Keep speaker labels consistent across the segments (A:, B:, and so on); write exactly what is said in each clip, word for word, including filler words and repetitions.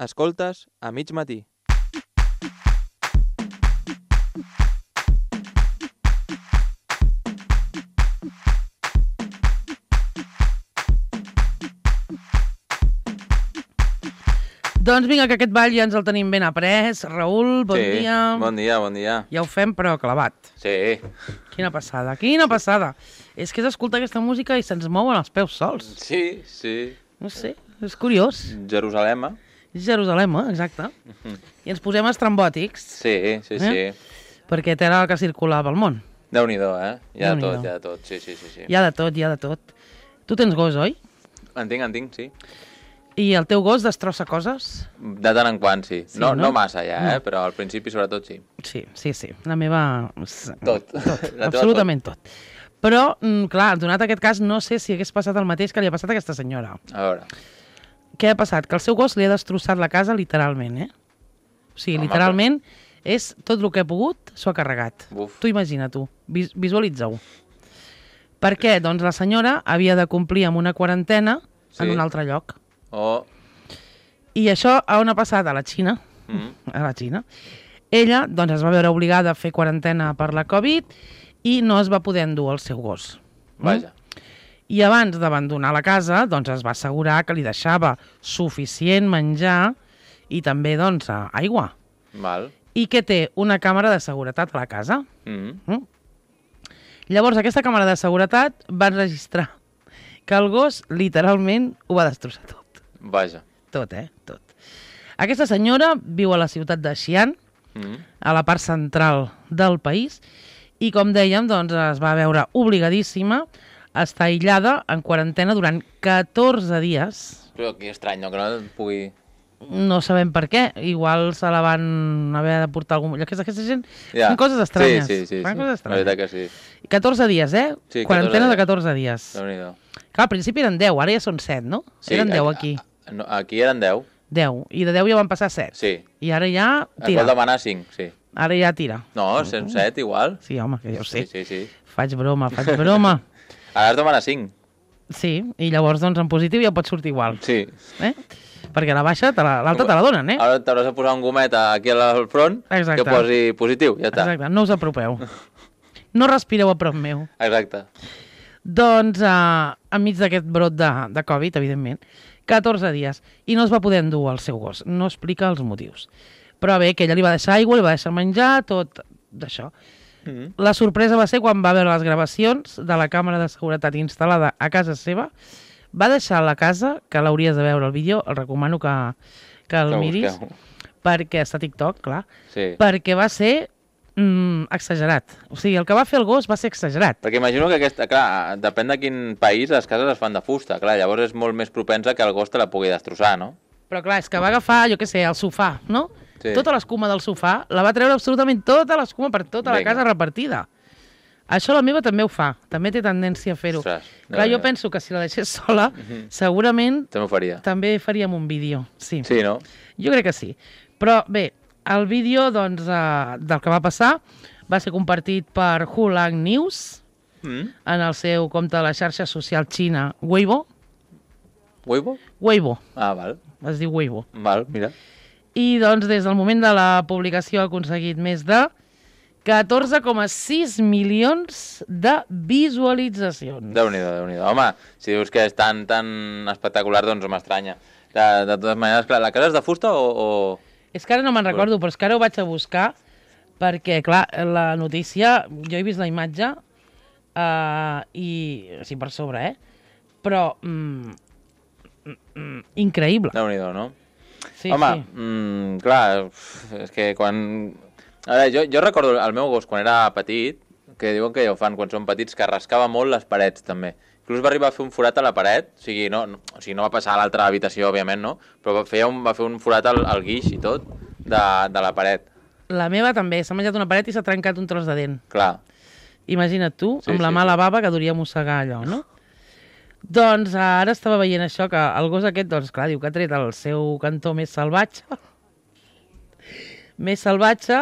A: Escoltes a mig matí.
B: Doncs vinga, que aquest ball ja ens el tenim ben après. Raül, bon
A: sí,
B: dia.
A: Bon dia, bon dia.
B: Ja ho fem, però clavat.
A: Sí.
B: Quina passada, quina passada. És que és escoltar aquesta música i se'ns mouen els peus sols.
A: Sí, sí.
B: No sé, és curiós.
A: Jerusalem.
B: Jerusalem, eh? Exacte. Uh-huh. I ens posem estrambòtics.
A: Sí, sí, eh? sí.
B: Perquè era el que circulava al món.
A: Déu-n'hi-do, eh? Hi ha de tot, hi ha de tot. Sí, sí, sí, sí.
B: Hi ha de tot, hi ha de tot. Tu tens gos, oi?
A: En tinc, en tinc, sí.
B: I el teu gos destrossa coses?
A: De tant en quant, sí. sí no, no? no massa ja, eh? No. Però al principi sobretot sí.
B: Sí, sí, sí. La meva...
A: Tot.
B: tot. Absolutament tot. tot. Però, clar, donat aquest cas, no sé si hagués passat el mateix que li ha passat a aquesta senyora.
A: A veure.
B: Què ha passat? Que el seu gos li ha destrossat la casa literalment, eh? O sigui, Home, literalment, però... és tot el que ha pogut, s'ho ha carregat.
A: Uf.
B: Tu imagina, tu. Vis visualitza-ho. Per què? Doncs la senyora havia de complir amb una quarantena sí. en un altre lloc.
A: Oh.
B: I això a on ha passat? A la Xina. Mm. A la Xina. Ella doncs, es va veure obligada a fer quarantena per la Covid i no es va poder endur el seu gos.
A: Vaja.
B: Mm? I abans d'abandonar la casa doncs, es va assegurar que li deixava suficient menjar i també doncs, aigua.
A: Val.
B: I que té una càmera de seguretat a la casa.
A: Mm.
B: Mm? Llavors, aquesta càmera de seguretat va enregistrar que el gos literalment ho va destrossar tot.
A: Vaja.
B: Tot, eh? Tot. Aquesta senyora viu a la ciutat de Xi'an, mm. a la part central del país, i com dèiem, doncs, es va veure obligadíssima a estar aïllada en quarantena durant catorze dies.
A: Però que estrany, no? Que no pugui...
B: No sabem per què. Igual se la van haver de portar algun... Aquesta, aquesta gent ja. fan coses estranyes.
A: Sí, sí, sí.
B: Fan
A: sí.
B: coses estranyes.
A: La veritat que sí.
B: catorze dies, eh?
A: Sí,
B: quarantena de catorze dies.
A: Déu-n'hi-do.
B: Clar, al principi eren deu, ara ja són set, no?
A: Sí,
B: eren deu aquí.
A: No, aquí eren deu.
B: deu. I de deu ja van passar set.
A: Sí.
B: I ara ja tira.
A: Es vol demanar cinc, sí.
B: Ara ja tira.
A: No, cent set igual.
B: Sí, home, que jo ho sé.
A: Sí, sí, sí.
B: Faig broma, faig broma.
A: Ara has de demanar cinc.
B: Sí, i llavors doncs en positiu ja pot sortir igual.
A: Sí.
B: Eh? Perquè la baixa, l'alta te, te la donen, eh?
A: Ara t'hauràs de posar un gomet aquí al front Exacte. Que posi positiu, ja està.
B: Exacte, no us apropeu. No respireu a prop meu.
A: Exacte.
B: Doncs, uh, enmig d'aquest brot de, de Covid, evidentment, catorze dies, i no es va poder endur el seu gos. No explica els motius. Però bé, que ella li va deixar aigua, li va deixar menjar, tot d'això. Mm-hmm. La sorpresa va ser quan va veure les gravacions de la càmera de seguretat instal·lada a casa seva. Va deixar la casa, que l'hauries de veure el vídeo, el recomano que, que el que miris, perquè està a TikTok, clar,
A: sí.
B: perquè va ser mm, exagerat. O sigui, el que va fer el gos va ser exagerat.
A: Perquè imagino que aquesta, clar, depèn de quin país les cases es fan de fusta, clar, llavors és molt més propensa que el gos te la pugui destrossar, no?
B: Però clar, és que va agafar, jo què sé, el sofà, no?
A: Sí.
B: Tota l'escuma del sofà, la va treure absolutament tota l'escuma per tota Vinga. La casa repartida. Això la meva també ho fa, també té tendència a fer-ho. Clar, jo penso que si la deixés sola, uh-huh. segurament
A: també, faria.
B: també faríem un vídeo. Sí.
A: sí, no?
B: Jo crec que sí. Però bé, el vídeo doncs, uh, del que va passar va ser compartit per Hulang News mm. en el seu compte de la xarxa social xina Weibo.
A: Weibo?
B: Weibo.
A: Ah, val.
B: Es diu Weibo.
A: Val, mira.
B: I doncs des del moment de la publicació ha aconseguit més de catorze coma sis milions de visualitzacions.
A: Déu-n'hi-do, Déu-n'hi-do. Home, si dius que és tan, tan espectacular, doncs m'estranya. De, de totes maneres, clar, la casa és de fusta o...? o...
B: És que ara no me'n recordo, però és que ara ho vaig a buscar perquè, clar, la notícia, jo he vist la imatge uh, i... sí, per sobre, eh? Però... Mm, mm, increïble.
A: Déu-n'hi-do, no?
B: Sí,
A: Home,
B: sí.
A: Mm, clar, és que quan... A veure, jo, jo recordo el meu gos quan era petit, que diuen que ja ho fan quan són petits, que rascava molt les parets, també. Inclús va arribar a fer un forat a la paret, o sigui, no, no, o sigui, no va passar a l'altra habitació, òbviament, no? Però va fer un, va fer un forat al, al guix i tot, de, de la paret.
B: La meva també, s'ha menjat una paret i s'ha trencat un tros de dent.
A: Clar.
B: Imagina't tu,
A: sí,
B: amb la
A: sí,
B: mala
A: sí.
B: bava que duria mossegar allò, no? Doncs ara estava veient això, que el gos aquest, doncs clar, diu que ha tret el seu cantó més salvatge, més salvatge,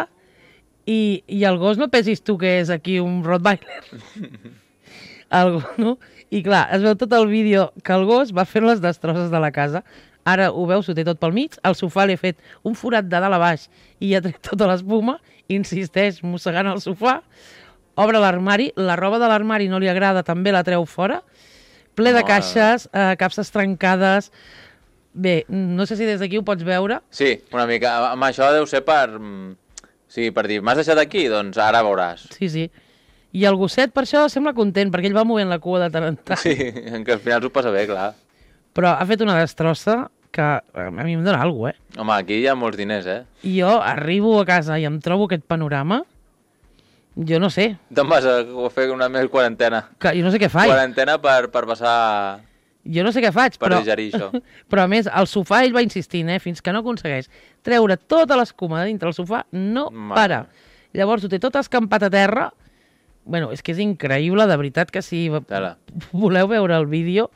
B: I, i el gos no pensis tu que és aquí un Rottweiler. El gos, no? I clar, es veu tot el vídeo que el gos va fer les destrosses de la casa Ara ho veus, ho té tot pel mig, al sofà li he fet un forat de dalt a baix i ja trec tota l'espuma, insisteix mossegant el sofà, obre l'armari, la roba de l'armari no li agrada, també la treu fora, ple de caixes, eh, capses trencades... Bé, no sé si des d'aquí ho pots veure.
A: Sí, una mica. Amb això deu ser per... Sí, per dir, m'has deixat aquí? Doncs ara veuràs.
B: Sí, sí. I el gosset per això sembla content, perquè ell va movent la cua de tant en tant.
A: Sí, que al final s'ho passa bé, clar.
B: Però ha fet una destrossa que a mi em dóna alguna cosa, eh?
A: Home, aquí hi ha molts diners, eh?
B: I jo arribo a casa i em trobo aquest panorama, jo no sé.
A: Te'n vas a fer una més quarantena.
B: Que, jo no sé què faig.
A: Quarantena per, per passar...
B: Jo no sé què faig,
A: per
B: però...
A: digerir això.
B: Però a més, al sofà ell va insistint, eh? Fins que no aconsegueix treure tota l'escuma de dintre el sofà, no
A: Mare.
B: para. Llavors ho té tot escampat a terra. Bueno, és que és increïble, de veritat que si
A: Tela.
B: voleu veure el vídeo,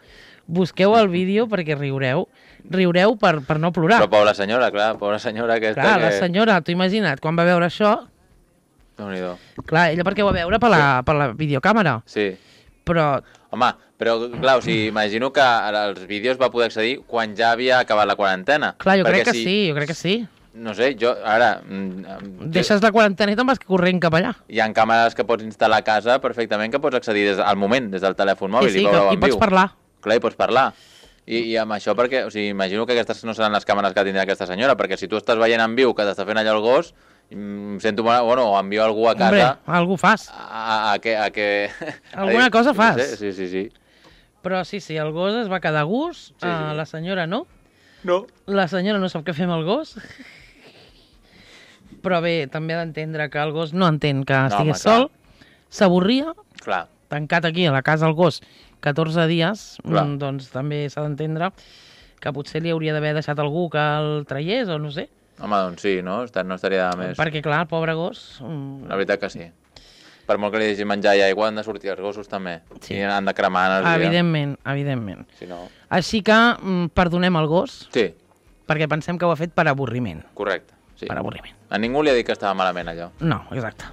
B: busqueu el vídeo perquè riureu. Riureu per, per no plorar.
A: Però pobra senyora, clar, pobra senyora aquesta
B: Clar,
A: que...
B: la senyora, t'ho imagina't, quan va veure això...
A: Déu-n'hi-do.
B: Clar, ella perquè ho va veure per la, per la videocàmera.
A: Sí.
B: Però...
A: Home, però clar, o sigui, imagino que als vídeos va poder accedir quan ja havia acabat la quarantena.
B: Clar, jo
A: Perquè
B: crec que
A: si,
B: sí, jo crec que sí.
A: No sé, jo ara... mm,
B: Deixes la quarantena i te'n vas corrent cap allà.
A: Hi ha càmeres que pots instal·lar a casa perfectament que pots accedir des, al moment, des del telèfon mòbil.
B: Sí, sí,
A: i, veure-ho
B: que,
A: en
B: i pots
A: viu.
B: parlar.
A: Clar, i pots parlar. I, I amb això perquè, o sigui, imagino que aquestes no seran les càmeres que tindrà aquesta senyora, perquè si tu estàs veient en viu que t'està fent allò el gos, em sento, bueno, o envio algú a casa...
B: Hombre, algú fas.
A: A, a, que, a que...
B: Alguna
A: a,
B: cosa fas.
A: No sé, sí, sí, sí.
B: Però sí, sí, el gos es va quedar a gust,
A: Sí, sí.
B: uh, la senyora no.
A: No.
B: La senyora no sap què fer amb el gos. Però bé, també ha d'entendre que el gos no entén que
A: No,
B: estigués
A: home, clar.
B: sol, s'avorria,
A: Clar.
B: tancat aquí a la casa el gos catorze dies,
A: Clar.
B: mm, doncs també s'ha d'entendre que potser li hauria d'haver deixat algú que el traiés o no sé.
A: Home, doncs sí, no? Esta- No estaria de més.
B: Perquè clar, el pobre gos... mm,
A: La veritat que sí. Per molt que li deixis menjar i aigua, han de sortir els gossos també.
B: Sí.
A: I han de cremar energia.
B: Evidentment, evidentment.
A: Si no...
B: Així que mm, perdonem el gos,
A: Sí,
B: perquè pensem que ho ha fet per avorriment.
A: correcte. Sí.
B: Per avorriment.
A: A ningú li ha dit que estava malament allò.
B: No, exacte.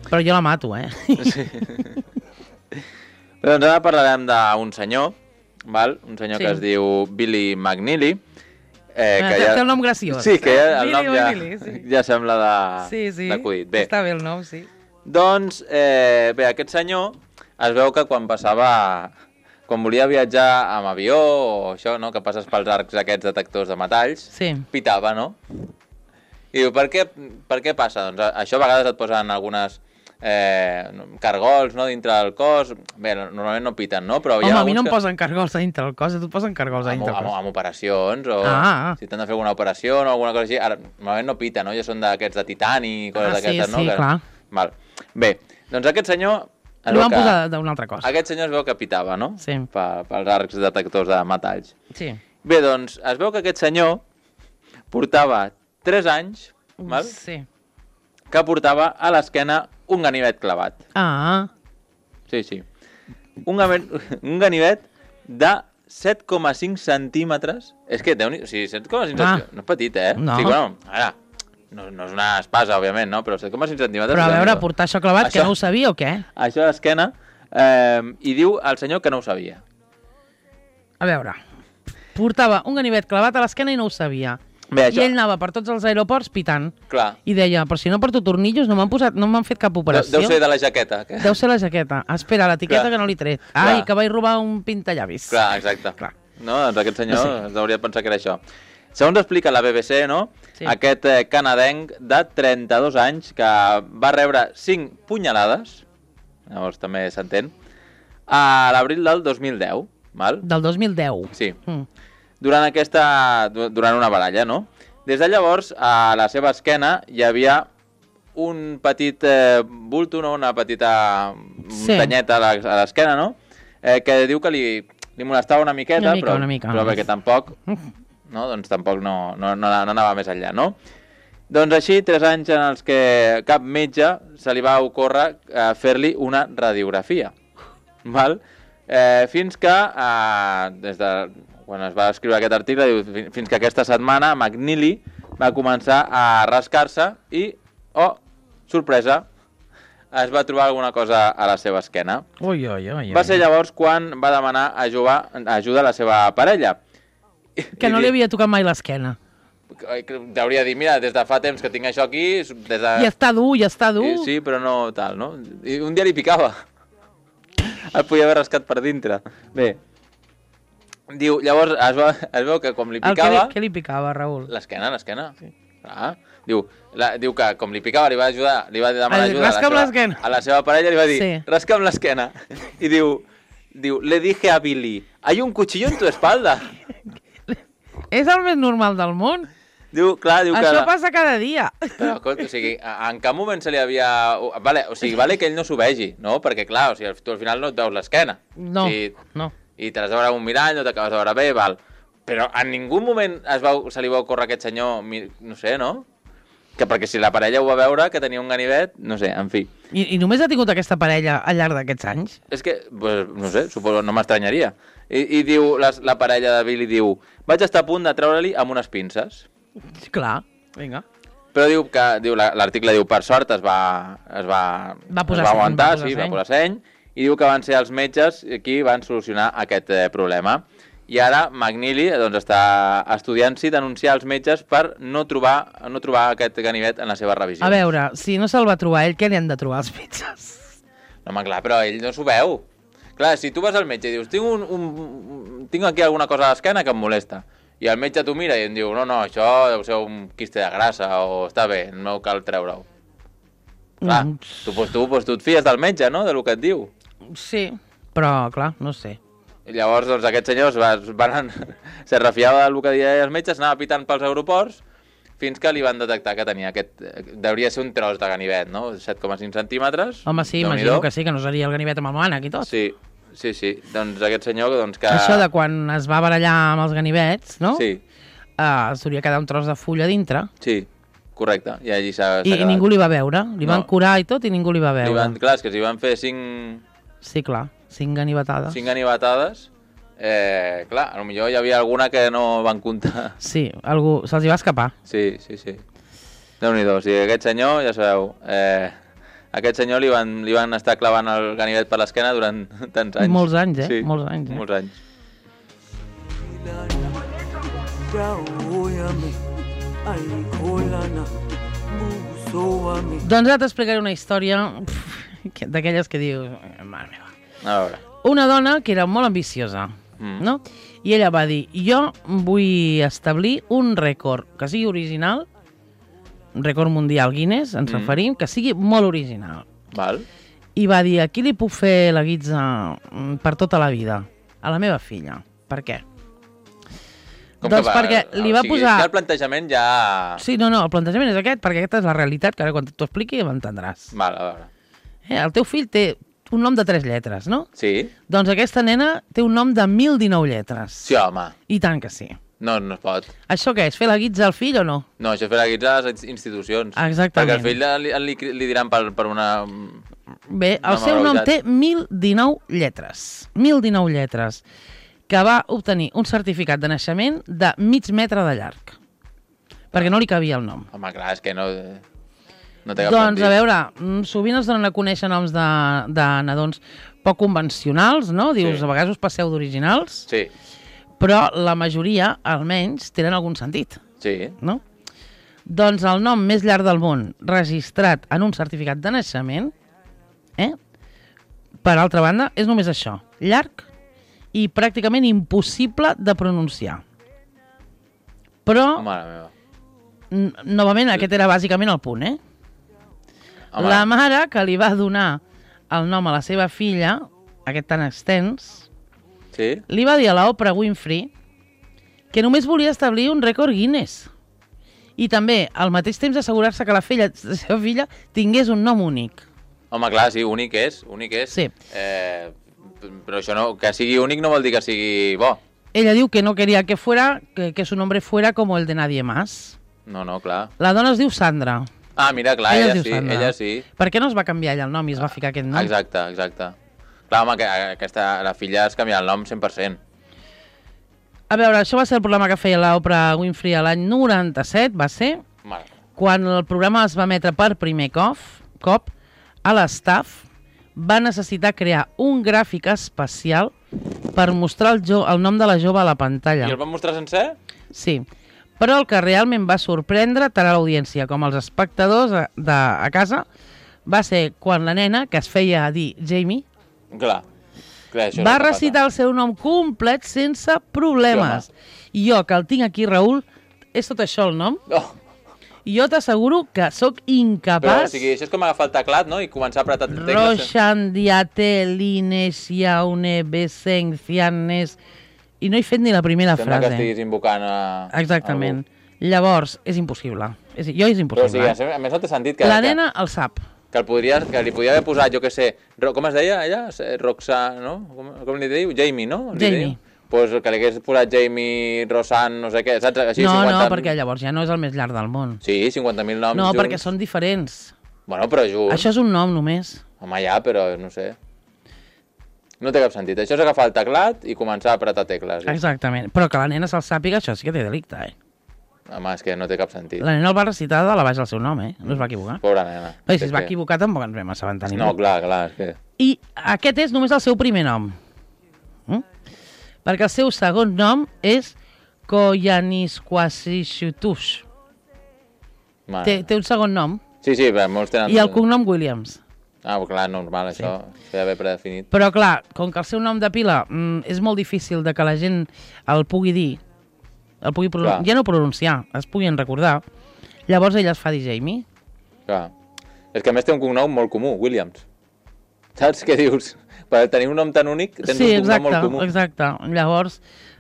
B: Però jo la mato, eh?
A: Sí. Doncs ara parlarem d'un senyor, val? Un senyor
B: Sí.
A: que es diu Billy McNeely. Eh,
B: Ah, té- té el nom graciós.
A: Sí, que ja, el
B: Billy
A: nom ja,
B: McNeely, sí.
A: ja sembla de,
B: Sí, sí.
A: d'acudit. Bé,
B: Està bé el nom, sí.
A: doncs, eh, bé, aquest senyor es veu que quan passava... Quan volia viatjar amb avió o això, no?, que passes pels arcs aquests detectors de metalls,
B: Sí.
A: pitava, no? I diu, per què, per què passa? Doncs a- això a vegades et posen algunes eh, cargols, no?, dintre del cos. Bé, normalment no piten, no? Però hi ha
B: Home, a mi no em
A: alguns
B: posen cargols a dintre el cos, a tu et posen cargols a
A: amb,
B: dintre el
A: amb,
B: cos.
A: amb operacions o
B: Ah, ah.
A: si t'han de fer alguna operació o alguna cosa així. Ara, normalment no pita, no? Ja són d'aquests de titani i coses
B: Ah, sí,
A: d'aquestes, no?
B: sí,
A: Que-
B: clar.
A: Val. Bé, doncs aquest senyor... es
B: Li
A: veu
B: van
A: que-
B: posar d'una altra cosa.
A: Aquest senyor es veu que pitava, no?
B: Sí.
A: Pa, pels arcs detectors de metalls.
B: Sí.
A: Bé, doncs, es veu que aquest senyor portava tres anys, val?
B: Sí.
A: Que portava a l'esquena un ganivet clavat.
B: Ah,
A: Sí, sí. Un, ganivet, un ganivet de set coma cinc centímetres. És que, déu o sigui, set coma cinc
B: Ah.
A: centímetres, no és petit, eh?
B: No.
A: Sí, bueno, ara, no, no és una espasa, òbviament, no? Però set coma cinc centímetres...
B: però a veure,
A: Déu-n'hi-do.
B: portar això clavat, que
A: Això-
B: no ho sabia o què?
A: Això a l'esquena, eh, i diu al senyor que no ho sabia.
B: A veure, portava un ganivet clavat a l'esquena i no ho sabia.
A: Bé,
B: I
A: això,
B: ell anava per tots els aeroports pitant.
A: clar,
B: I deia, però si no porto tornillos no m'han posat, no m'han fet cap
A: deu,
B: operació.
A: deu ser de la jaqueta. Que...
B: Deu ser la jaqueta. Espera, l'etiqueta
A: Clar.
B: que no li tret. Ai,
A: Clar.
B: que vaig robar un pintallavis.
A: Clar, exacte.
B: Clar.
A: No, doncs aquest senyor
B: Sí.
A: es hauria de pensar que era això. Segons explica la B B C, no?
B: Sí.
A: Aquest eh, canadenc de trenta-dos anys que va rebre cinc punyalades, llavors també s'entén, a l'abril del dos mil deu, val?
B: Del dos mil deu.
A: Sí,
B: Mm.
A: durant aquesta... du- durant una baralla, no? Des de llavors, a la seva esquena hi havia un petit eh, bulto, no? Una petita
B: Sí.
A: muntanyeta a la- a l'esquena, no? Eh, que diu que li, li molestava una miqueta,
B: Una mica,
A: però,
B: una mica.
A: però perquè tampoc, no? Doncs tampoc no, no, no, no anava més enllà, no? Doncs així, tres anys en els que cap metge se li va ocórrer eh, fer-li una radiografia, val? Eh, fins que, eh, des de quan es va escriure aquest article, diu, fi- fins que aquesta setmana McNeely va començar a rascar-se i, oh, sorpresa, es va trobar alguna cosa a la seva esquena.
B: Ui, ui, ui.
A: Va ser llavors quan va demanar ajuda, ajuda a la seva parella.
B: Que no li havia tocat mai l'esquena.
A: T'hauria de dir, mira, des de fa temps que tinc això aquí... Des de...
B: I està dur, i està dur.
A: Sí, però no tal, no? I un dia li picava. El podia haver rascat per dintre. Bé, diu, llavors es, va, es veu que com li picava...
B: El que li, què li picava, Raül?
A: L'esquena, l'esquena. Sí. Ah, diu, la, diu que com li picava li va ajudar, li va demanar ajuda a la, seva, a la seva parella, li va dir, sí. rasca'm l'esquena. I diu, diu, le dije a Billy, hay un cuchillo en tu espalda.
B: És el més normal del món.
A: Diu, clar, diu
B: Això
A: que...
B: passa cada dia.
A: Però, o sigui, en cap moment se li havia... Vale, o sigui, vale que ell no s'ho vegi, no? Perquè, clar, o sigui, tu al final no et veus l'esquena.
B: No,
A: o sigui,
B: no.
A: I te l'has de veure un mirall, no t'acabes de veure bé, val. Però en ningú moment es va, se li va ocórrer a aquest senyor, no sé, no? Que perquè si la parella ho va veure, que tenia un ganivet, no sé, en fi.
B: I, i només ha tingut aquesta parella al llarg d'aquests anys?
A: És que, pues, no sé, suposo, no m'estranyaria. I, i diu, la, la parella de Billy diu, vaig estar a punt de treure-li amb unes pinces.
B: Clar, vinga.
A: Però diu que diu l'article diu per sort es va es va,
B: va, posar
A: es va aguantar,
B: seny, va
A: sí, va posar seny, i diu que van ser els metges qui van solucionar aquest eh, problema. I ara McNeely doncs, està estudiant-s'hi denunciar els metges per no trobar, no trobar aquest ganivet en la seva revisió.
B: A veure, si no se'l va trobar ell, què li han de trobar els metges?
A: No, home, clar, però ell no s'ho veu. Clar, si tu vas al metge i dius, tinc, un, un, tinc aquí alguna cosa a l'esquena que em molesta, i el metge t'ho mira i em diu, no, no, això deu ser un quiste de grassa, o està bé, no cal treure-ho. Clar, mm. tu, pues, tu, pues, tu et fies del metge, no?, del que et diu.
B: Sí, però, clar, no sé.
A: I llavors, doncs, aquests senyors van, se refiava del que deien els metges, anava pitant pels aeroports, fins que li van detectar que tenia aquest... Deuria ser un tros de ganivet, no?, set coma cinc centímetres.
B: Home, sí, imagino que sí, que no seria el ganivet amb el mànec i tot.
A: Sí, sí, sí. Doncs aquest senyor, doncs que...
B: Això de quan es va barallar amb els ganivets, no?
A: Sí.
B: Uh, s'hauria quedat un tros de fulla dintre.
A: Sí, correcte. I allí s'ha
B: I, i ningú li va veure. Li van no. curar i tot i ningú li va veure.
A: Li van, clar, és que s'hi van fer cinc...
B: Sí, clar, cinc ganivetades.
A: Cinc ganivetades. Eh, clar, potser hi havia alguna que no van comptar.
B: Sí, algú se'ls hi va escapar.
A: Sí, sí, sí. Déu-n'hi-do, o sigui, aquest senyor, ja sabeu, eh, aquest senyor li van, li van estar clavant el ganivet per l'esquena durant tants anys.
B: Molts anys, eh?
A: Sí,
B: molts anys. Eh?
A: Molts anys.
B: Doncs ara t'explicaré una història d'aquelles que dius... Mare meva.
A: A veure.
B: Una dona que era molt ambiciosa, mm. no? I ella va dir, jo vull establir un rècord que sigui original, un rècord mundial Guinness, ens mm. referim, que sigui molt original.
A: Val.
B: I va dir, aquí li puc fer la guitza per tota la vida, a la meva filla. Per què?
A: Com
B: doncs
A: va,
B: perquè li va
A: o sigui,
B: posar...
A: el plantejament ja...
B: Sí, no, no, el plantejament és aquest, perquè aquesta és la realitat, que ara quan t'ho expliqui m'entendràs.
A: Val, a veure.
B: Eh, el teu fill té un nom de tres lletres, no?
A: Sí.
B: Doncs aquesta nena té un nom de mil dinou lletres.
A: Sí, home.
B: I tant que sí.
A: No, no es pot.
B: Això què és? Fer la guitza al fill o no?
A: No, això és fer la guitza a les institucions.
B: Exactament.
A: Perquè el fill li, li, li diran per, per una...
B: Bé, el seu nom té mil dinou lletres. mil dinou lletres. Que va obtenir un certificat de naixement de mig metre de llarg. Perquè no li cabia el nom.
A: Home, clar, és que no... no té cap
B: doncs,
A: sentit.
B: a veure, sovint es donen a conèixer noms de, de nadons poc convencionals, no? Dius, sí. A vegades us passeu d'originals.
A: Sí.
B: Però la majoria, almenys, tenen algun sentit.
A: Sí.
B: No? Doncs el nom més llarg del món registrat en un certificat de naixement, eh? Per altra banda, és només això. Llarg i pràcticament impossible de pronunciar. Però,
A: Mare meva.
B: novament, aquest era bàsicament el punt, eh? Home. La mare que li va donar el nom a la seva filla, aquest tan extens,
A: sí?
B: li va dir a l'Oprah Winfrey que només volia establir un rècord Guinness. I també, al mateix temps, assegurar-se que la filla, la seva filla tingués un nom únic.
A: Home, clar, sí, únic és, únic és.
B: Sí.
A: Eh, però això no, que sigui únic no vol dir que sigui bo.
B: Ella diu que no quería que fuera, que, que su nombre fuera como el de nadie más.
A: No, no, clar.
B: La dona es diu Sandra.
A: Ah, mira, clar, ella, ella sí, Sandra. ella sí.
B: Per què no es va canviar ella el nom i es va ficar aquest nom?
A: Exacte, exacte. Clar, home, que aquesta, la filla es canvia el nom cent per cent.
B: A veure, això va ser el programa que feia l'Oprah Winfrey l'any noranta-set, va ser,
A: Mare.
B: Quan el programa es va emetre per primer cop, cop a l'estaf va necessitar crear un gràfic especial per mostrar el, jo, el nom de la jove a la pantalla.
A: I el van mostrar sencer?
B: Sí, però el que realment va sorprendre tant a l'audiència com als espectadors a, de, a casa va ser quan la nena, que es feia dir Jamie,
A: Clar. Clar, això
B: va
A: és el que
B: recitar el seu nom complet sense problemes. I jo, que el tinc aquí, Raül, és tot això el nom?
A: Oh.
B: I jo t'asseguro que sóc
A: Però, o
B: incapaç...
A: sigui, això és com agafar el teclat, no?, i començar a apretar tecles.
B: Roshan, Diate, Lines, Yaune, Beseng, Cianes... I no he fet ni la primera
A: Sembla
B: frase.
A: que estiguis invocant a...
B: Exactament. Llavors, és impossible. És, jo és
A: Però, o
B: impossible.
A: sigui, a més no té sentit que...
B: La
A: que,
B: nena el sap.
A: Que, el podria, que li podia haver posat, jo què sé... Ro, com es deia, ella? Roxa, no? Com, com li diu? Jamie, no? Li
B: Jamie.
A: Diu? Pues que li hagués posat Jamie, Rosan, no sé què, saps? Així,
B: No,
A: cinquanta...
B: no, perquè llavors ja no és el més llarg del món.
A: Sí, cinquanta mil noms
B: No,
A: junts.
B: perquè són diferents.
A: Bueno, però junts...
B: Això és un nom només.
A: Home, ja, però no sé... No té cap sentit. Això és agafar el teclat i començar a apretar tecles. Eh?
B: Exactament. Però que la nena se'l sàpiga, això sí que té delicte, eh?
A: Home, és que no té cap sentit.
B: La nena el va recitar de la baix al seu nom, eh? No es va equivocar.
A: Pobra nena.
B: Bé, si
A: És
B: es va
A: que...
B: equivocar tampoc ens vam assabentar ningú.
A: No, clar, clar, és que...
B: I aquest és només el seu primer nom. Mm? Perquè el seu segon nom és Koyanisquasishutush. Té, té un segon nom.
A: Sí, sí, però molts tenen...
B: I el cognom Williams.
A: Ah, clar, normal, això. Sí. S'ha d'haver predefinit.
B: Però clar, com que el seu nom de pila mm, és molt difícil de que la gent el pugui dir, el pugui pronun... ja no pronunciar, es puguin recordar, llavors ella es fa dir Jamie.
A: Clar. És que a més té un cognom molt comú, Williams. Saps què dius? Per tenir un nom tan únic tens
B: sí,
A: un cognom
B: exacte,
A: molt comú.
B: exacte. Llavors,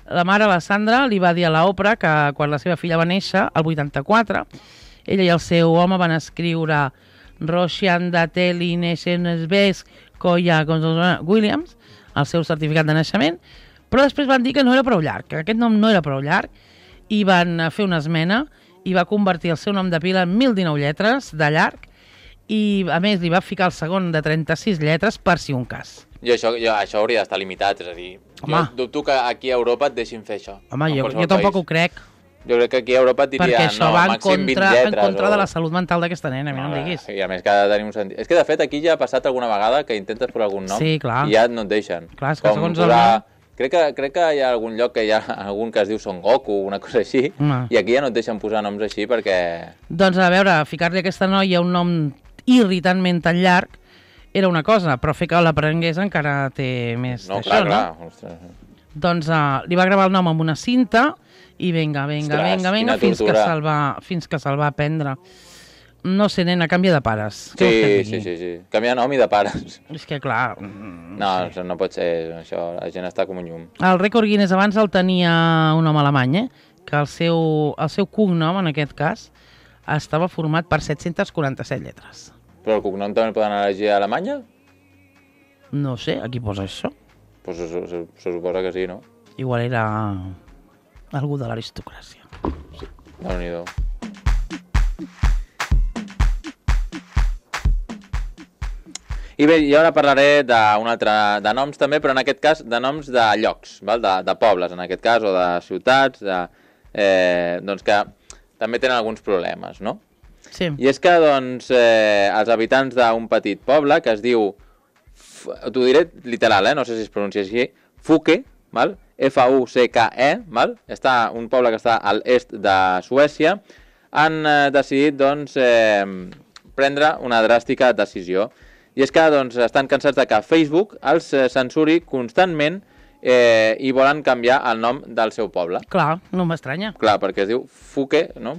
B: la mare, la Sandra, li va dir a l'Oprah que quan la seva filla va néixer, el vuitanta-quatre, ella i el seu home van escriure Roshan Dateli Neshenesbes Koya Williams, el seu certificat de naixement, però després van dir que no era prou llarg, que aquest nom no era prou llarg, i van fer una esmena i va convertir el seu nom de pila en mil dinou lletres de llarg, i a més li va ficar el segon de trenta-sis lletres per si un cas.
A: I això, jo, això hauria d'estar limitat, és a dir,
B: Home.
A: jo dubto que aquí a Europa et deixin fer això.
B: Home, jo, jo tampoc
A: país.
B: ho crec.
A: Jo crec que aquí a Europa et diria,
B: Perquè això
A: no,
B: va en
A: màxim vint
B: contra,
A: lletres.
B: en contra
A: o...
B: de la salut mental d'aquesta nena, a mi no, no em diguis.
A: I a més que ha de tenir un sentit. És que de fet aquí ja ha passat alguna vegada que intentes posar algun nom
B: sí, clar.
A: i ja no et deixen.
B: Clar, és que
A: com
B: segons
A: posar...
B: el...
A: Crec que, crec que hi ha algun lloc que hi ha algun que es diu Son Goku, una cosa així,
B: Home.
A: i aquí ja no et deixen posar noms així perquè...
B: Doncs a veure, ficar-li a aquesta noia un nom irritantment tan llarg era una cosa, però fer que l'aprengués encara té més
A: No,
B: d'això,
A: clar, clar.
B: no?
A: Ostres.
B: Doncs uh, li va gravar el nom amb una cinta i vinga, vinga,
A: Ostres,
B: vinga, vinga,
A: quina
B: fins que
A: tortura.
B: se'l va, fins que se'l va prendre. No sé, nena, canvia de pares. Què vols que et
A: Sí,
B: digui?
A: sí, sí, sí. Canvia de nom i de pares.
B: És que, clar... mm,
A: No,
B: sí.
A: això no pot ser, això, la gent està com un llum.
B: El rècord Guinness abans el tenia un home alemany, eh? Que el seu, el seu cognom, en aquest cas, estava format per set-centes quaranta-set lletres.
A: Però el cognom també el poden elegir a Alemanya?
B: No sé, aquí posa això.
A: Pues se, se, se suposa que sí, no?
B: Igual era algú de l'aristocràcia.
A: Déu-n'hi-do. I bé, jo ara parlaré d'un altre, de noms també, però en aquest cas de noms de llocs, val? De, de pobles en aquest cas, o de ciutats, de, eh, doncs que també tenen alguns problemes, no?
B: Sí.
A: I és que, doncs, eh, els habitants d'un petit poble que es diu, t'ho diré literal, eh? No sé si es pronuncia així, Fuke, val? F U C K E, val? Està un poble que està a l'est de Suècia, han eh, decidit, doncs, eh, prendre una dràstica decisió. I és que, doncs, estan cansats de que Facebook els eh, censuri constantment eh, i volen canviar el nom del seu poble.
B: Clar, no m'estranya.
A: Clar, perquè es diu Fuke, no?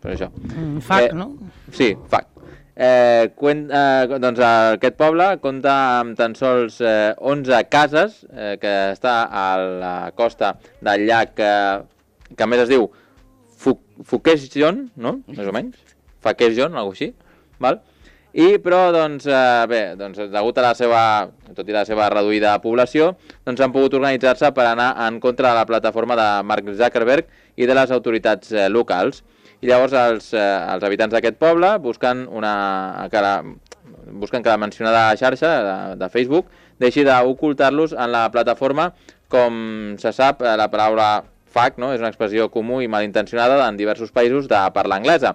A: Per això.
B: Mm, fac,
A: Eh,
B: no?
A: Sí, fac. Eh, cuen, eh, doncs aquest poble compta amb tan sols eh, onze cases, eh, que està a la costa del llac, eh, que a més es diu Fukesjon, no? Més o menys. Fakesjon, alguna cosa així. Val? I, però, doncs, eh, bé, doncs, degut a la seva, tot i la seva reduïda població, doncs han pogut organitzar-se per anar en contra de la plataforma de Mark Zuckerberg i de les autoritats eh, locals. I llavors els, eh, els habitants d'aquest poble busquen, una, que la, busquen que la mencionada xarxa de, de Facebook deixi d'ocultar-los en la plataforma. Com se sap, eh, la paraula fuck, no? És una expressió comú i malintencionada en diversos països de parla anglesa.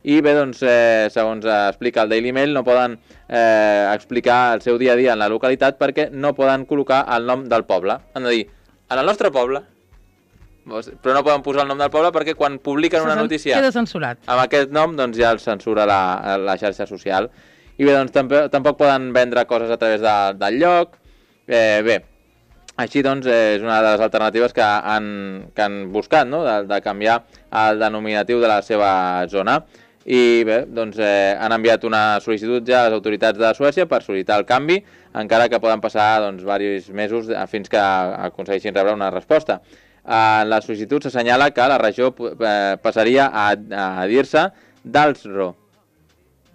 A: i bé, doncs, eh, segons explica el Daily Mail, no poden eh, explicar el seu dia a dia en la localitat perquè no poden col·locar el nom del poble. Han de dir, en el nostre poble, però no poden posar el nom del poble perquè quan publiquen una notícia
B: queda censurat.
A: Amb aquest nom, doncs ja el censura la, la xarxa social. I bé, doncs tampoc, tampoc poden vendre coses a través de, del lloc. Eh, bé, així doncs és una de les alternatives que han, que han buscat, no?, de, de canviar el denominatiu de la seva zona. I bé, doncs eh, han enviat una sol·licitud ja a les autoritats de Suècia per sol·licitar el canvi, encara que poden passar doncs, diversos mesos fins que aconsegueixin rebre una resposta. En la sol·licitud s'assenyala que la regió eh, passaria a, a dir-se Dalsro.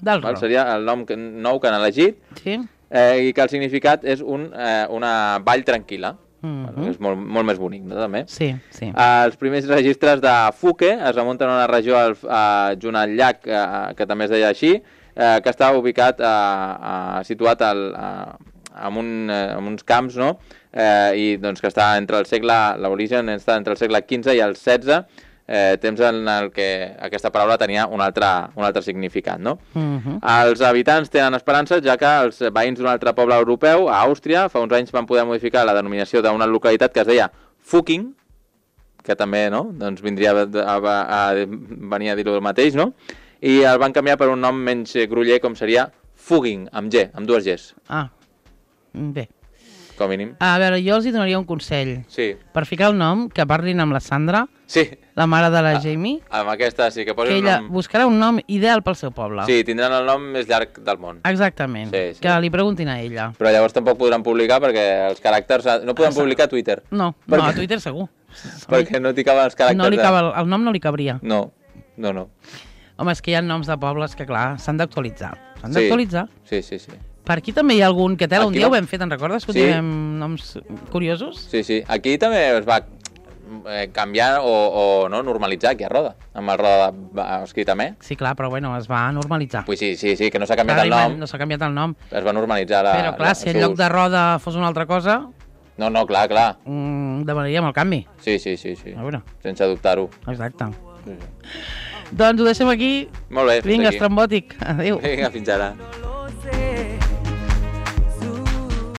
B: Dalsro.
A: Seria el nom que, nou que han elegit.
B: Sí.
A: Eh, I que el significat és un, eh, una vall tranquil·la.
B: Mm-hmm.
A: Bueno, és molt, molt més bonic, no, també?
B: Sí, sí.
A: Els primers registres de Fuke es remunten a una regió al, a, junt al llac, eh, que també es deia així, eh, que està ubicat, a, a, situat al, a, en, un, en uns camps, no?, eh, i doncs que està entre el segle, l'origen està entre el segle quinze i el setze, eh, temps en el que aquesta paraula tenia un altre, un altre significat, no?
B: Mm-hmm.
A: Els habitants tenen esperances, ja que els veïns d'un altre poble europeu, a Àustria, fa uns anys van poder modificar la denominació d'una localitat que es deia Fucking, que també, no?, doncs vindria a, a, a venir a dir-ho el mateix, no?, i el van canviar per un nom menys groller, com seria Fugging, amb G, amb dues Gs.
B: Ah, bé.
A: Com a mínim.
B: A veure, jo els hi donaria un consell.
A: Sí.
B: Per ficar el nom, que parlin amb la Sandra,
A: sí,
B: la mare de la Jamie,
A: amb aquesta sí, que
B: que
A: posin
B: ella
A: un nom...
B: buscarà un nom ideal pel seu poble.
A: Sí, tindran el nom més llarg del món.
B: Exactament,
A: Sí, sí.
B: que li preguntin a ella.
A: Però llavors tampoc podran publicar perquè els caràcters... No poden publicar a Twitter.
B: No,
A: Per
B: no,
A: què?
B: a Twitter segur.
A: Perquè no t'hi caben els caràcters.
B: No li
A: de-
B: cava, el nom no li cabria.
A: No, no, no.
B: Home, és que hi ha noms de pobles que, clar, s'han d'actualitzar. S'han
A: Sí.
B: d'actualitzar.
A: Sí, sí, sí.
B: Per aquí també hi ha algun que tela, un
A: Aquí
B: dia
A: va-
B: ho vam fer, te'n recordes? Que
A: Sí.
B: sí. noms curiosos?
A: Sí, sí. Aquí també es va eh, canviar o, o no normalitzar aquí a Roda, amb el Roda de- escrit amb E.
B: Sí, clar, però bueno, es va normalitzar.
A: Pues sí, sí, sí, que no s'ha canviat
B: Clar,
A: el nom,
B: No s'ha canviat el nom.
A: es va normalitzar la...
B: Però, clar,
A: la,
B: si en
A: el seu
B: lloc
A: ús.
B: de roda fos una altra cosa,
A: No, no, clar, clar.
B: mm, demanaríem el canvi.
A: Sí, sí, sí, sí.
B: A veure,
A: Sense dubtar-ho.
B: exacte.
A: Sí, sí.
B: Doncs ho deixem aquí.
A: Molt bé, fins
B: Vinga,
A: aquí.
B: estrambòtic. Adéu.
A: Vinga, fins ara.